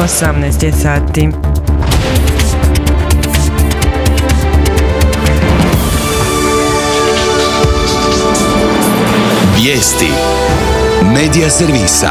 18 je sati. Vijesti Medija servisa.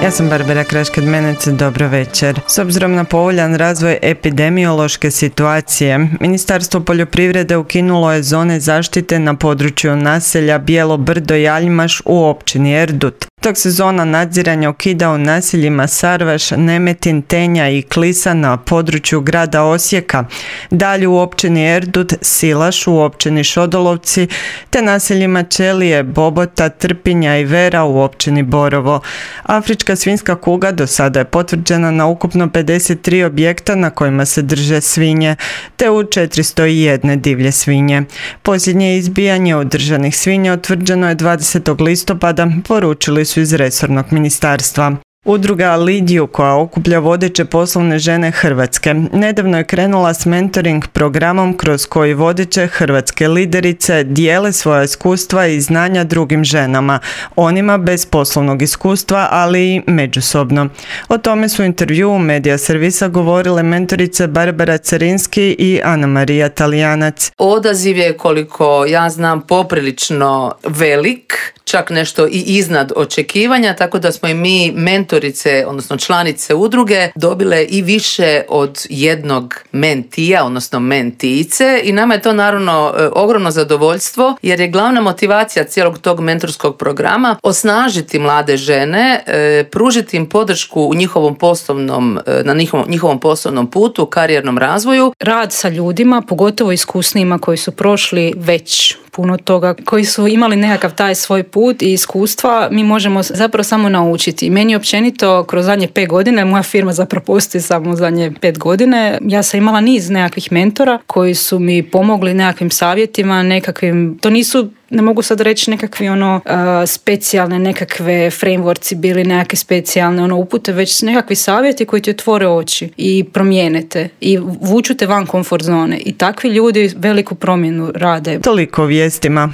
Ja sam Barbara Kraškad-Menec, dobro večer. S obzirom na povoljan razvoj epidemiološke situacije, Ministarstvo poljoprivrede ukinulo je zone zaštite na području naselja Bijelo Brdo i Aljmaš u općini Erdut, dok se zona nadziranja ukida u naseljima Sarvaš, Nemetin, Tenja i Klisa na području grada Osijeka, dalje u općini Erdut, Silaš u općini Šodolovci, te naseljima Čelije, Bobota, Trpinja i Vera u općini Borovo. Afrička svinjska kuga do sada je potvrđena na ukupno 53 objekta na kojima se drže svinje, te u 401 divlje svinje. Posljednje izbijanje održanih svinja utvrđeno je 20. listopada, poručili su iz resornog ministarstva. Udruga Lidiju, koja okuplja vodeće poslovne žene Hrvatske, nedavno je krenula s mentoring programom kroz koji vodeće hrvatske liderice dijele svoja iskustva i znanja drugim ženama, onima bez poslovnog iskustva, ali i međusobno. O tome su u intervjuu Medija servisa govorile mentorice Barbara Carinski i Ana Marija Talijanac. Odaziv je, koliko ja znam, poprilično velik, čak nešto i iznad očekivanja, tako da smo i mi mentorice, odnosno članice udruge, dobile i više od jednog mentija, odnosno mentice, i nama je to naravno ogromno zadovoljstvo, jer je glavna motivacija cijelog tog mentorskog programa osnažiti mlade žene, pružiti im podršku u njihovom poslovnom, na njihovom poslovnom putu, karijernom razvoju. Rad sa ljudima, pogotovo iskusnijima koji su prošli već puno toga, koji su imali nekakav taj svoj put i iskustva, mi možemo zapravo samo naučiti. Meni općenito kroz zadnje 5 godine, moja firma zapravo postoji samo zadnje 5 godine, ja sam imala niz nekakvih mentora koji su mi pomogli nekakvim savjetima, nekakvim, to nisu, ne mogu sad reći nekakvi specijalne nekakve frameworkci bili, nekakve specijalne upute, već nekakvi savjeti koji ti otvore oči i promijenete i vuču te van komfort zone, i takvi ljudi veliku promjenu rade. Toliko o vijestima.